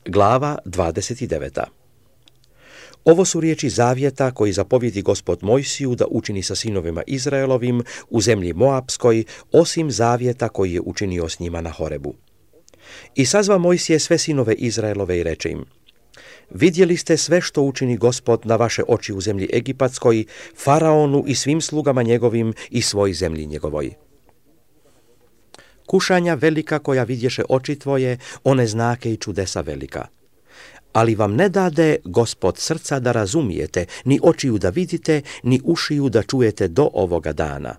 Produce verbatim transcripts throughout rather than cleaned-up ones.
Glava dvadeset deveta. Ovo su riječi zavjeta koji zapovjedi Gospod Mojsiju da učini sa sinovima Izraelovim u zemlji Moapskoj, osim zavjeta koji je učinio s njima na Horebu. I sazva Mojsije sve sinove Izraelove i reče im: vidjeli ste sve što učini Gospod na vaše oči u zemlji Egipatskoj, Faraonu i svim slugama njegovim i svoj zemlji njegovoj. Kušanja velika koja vidješe oči tvoje, one znake i čudesa velika. Ali vam ne dade Gospod srca da razumijete, ni očiju da vidite, ni ušiju da čujete do ovoga dana.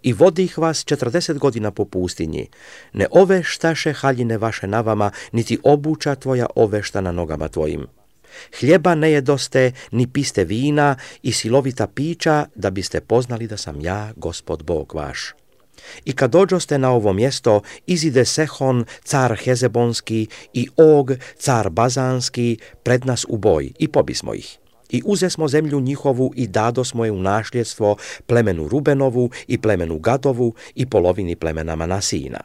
I vodih vas četrdeset godina po pustinji, ne oveštaše haljine vaše na vama, niti obuća tvoja ovešta na nogama tvojim. Hljeba ne jedoste, ni piste vina i silovita pića, da biste poznali da sam ja, Gospod Bog vaš. I kad dođoste na ovo mjesto, izide Sehon, car Hezebonski, i Og, car Bazanski, pred nas u boj, i pobismo ih. I uzesmo zemlju njihovu i dadosmo je u nasljedstvo plemenu Rubenovu i plemenu Gadovu i polovini plemena Manasijina.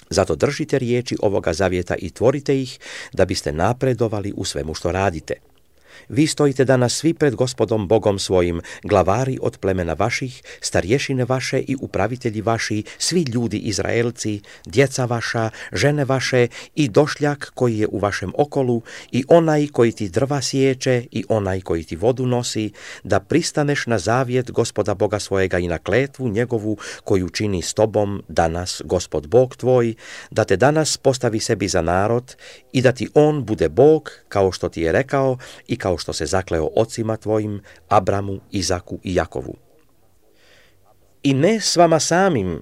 Zato držite riječi ovoga zavjeta i tvorite ih, da biste napredovali u svemu što radite. Vi stojite danas svi pred Gospodom Bogom svojim, glavari od plemena vaših, starješine vaše i upravitelji vaši, svi ljudi Izraelci, djeca vaša, žene vaše i došljak koji je u vašem okolu i onaj koji ti drva sječe i onaj koji ti vodu nosi, da pristaneš na zavjet Gospoda Boga svojega i na kletvu njegovu koju čini s tobom danas Gospod Bog tvoj, da te danas postavi sebi za narod i da ti on bude Bog kao što ti je rekao i kao što se zakleo ocima tvojim, Abramu, Izaku i Jakovu. I ne s vama samim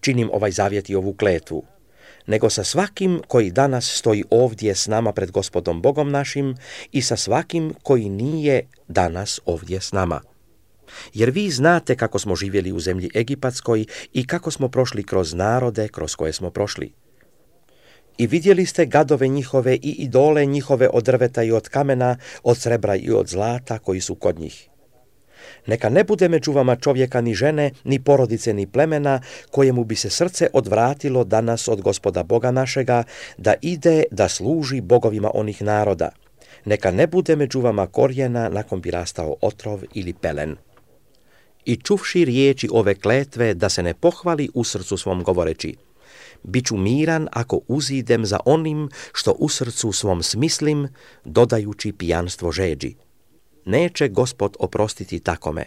činim ovaj zavjet i ovu kletvu, nego sa svakim koji danas stoji ovdje s nama pred Gospodom Bogom našim i sa svakim koji nije danas ovdje s nama. Jer vi znate kako smo živjeli u zemlji Egipatskoj i kako smo prošli kroz narode kroz koje smo prošli. I vidjeli ste gadove njihove i idole njihove od drveta i od kamena, od srebra i od zlata koji su kod njih. Neka ne bude među vama čovjeka ni žene, ni porodice, ni plemena, kojemu bi se srce odvratilo danas od Gospoda Boga našega, da ide da služi bogovima onih naroda. Neka ne bude među vama korijena nakon bi rastao otrov ili pelen. I čuvši riječi ove kletve, da se ne pohvali u srcu svom govoreći: biću miran ako uzidem za onim što u srcu svom smislim, dodajući pijanstvo žeđi. Neće Gospod oprostiti takome,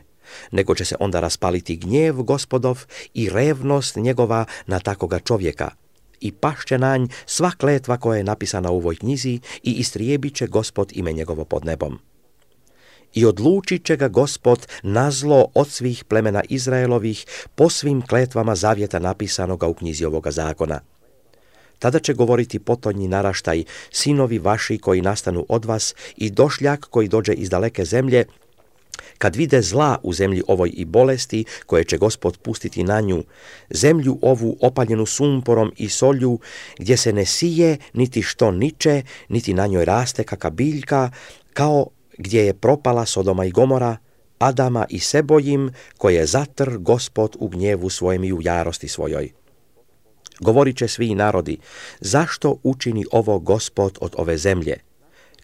nego će se onda raspaliti gnjev Gospodov i revnost njegova na takoga čovjeka. I pašće na nj sva kletva koja je napisana u ovoj knjizi i istrijebit će Gospod ime njegovo pod nebom. I odlučit će ga Gospod na zlo od svih plemena Izraelovih po svim kletvama zavjeta napisanoga u knjizi ovoga zakona. Tada će govoriti potonji naraštaj, sinovi vaši koji nastanu od vas i došljak koji dođe iz daleke zemlje, kad vide zla u zemlji ovoj i bolesti koje će Gospod pustiti na nju, zemlju ovu opaljenu sumporom i solju, gdje se ne sije, niti što niče, niti na njoj raste kaka biljka, kao gdje je propala Sodoma i Gomora, Adama i Sebojim, koje je zatr Gospod u gnjevu svojem i u jarosti svojoj. Govorit će svi narodi: zašto učini ovo Gospod od ove zemlje?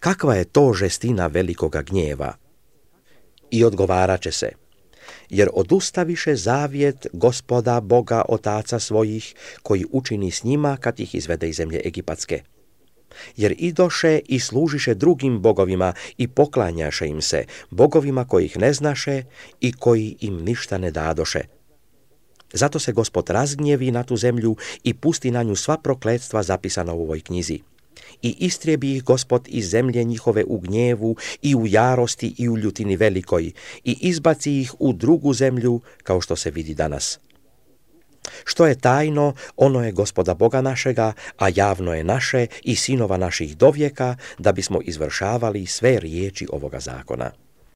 Kakva je to žestina velikoga gnjeva? I odgovarat će se: jer odustaviše zavjet Gospoda Boga otaca svojih, koji učini s njima kad ih izvede iz zemlje Egipatske. Jer idoše i služiše drugim bogovima i poklanjaše im se, bogovima kojih ne znaše i koji im ništa ne dadoše. Zato se Gospod razgnjevi na tu zemlju i pusti na nju sva prokletstva zapisana u ovoj knjizi. I istrijebi ih Gospod iz zemlje njihove u gnjevu i u jarosti i u ljutini velikoj i izbaci ih u drugu zemlju, kao što se vidi danas. Što je tajno, ono je Gospoda Boga našega, a javno je naše i sinova naših dovijeka, da bismo izvršavali sve riječi ovoga zakona.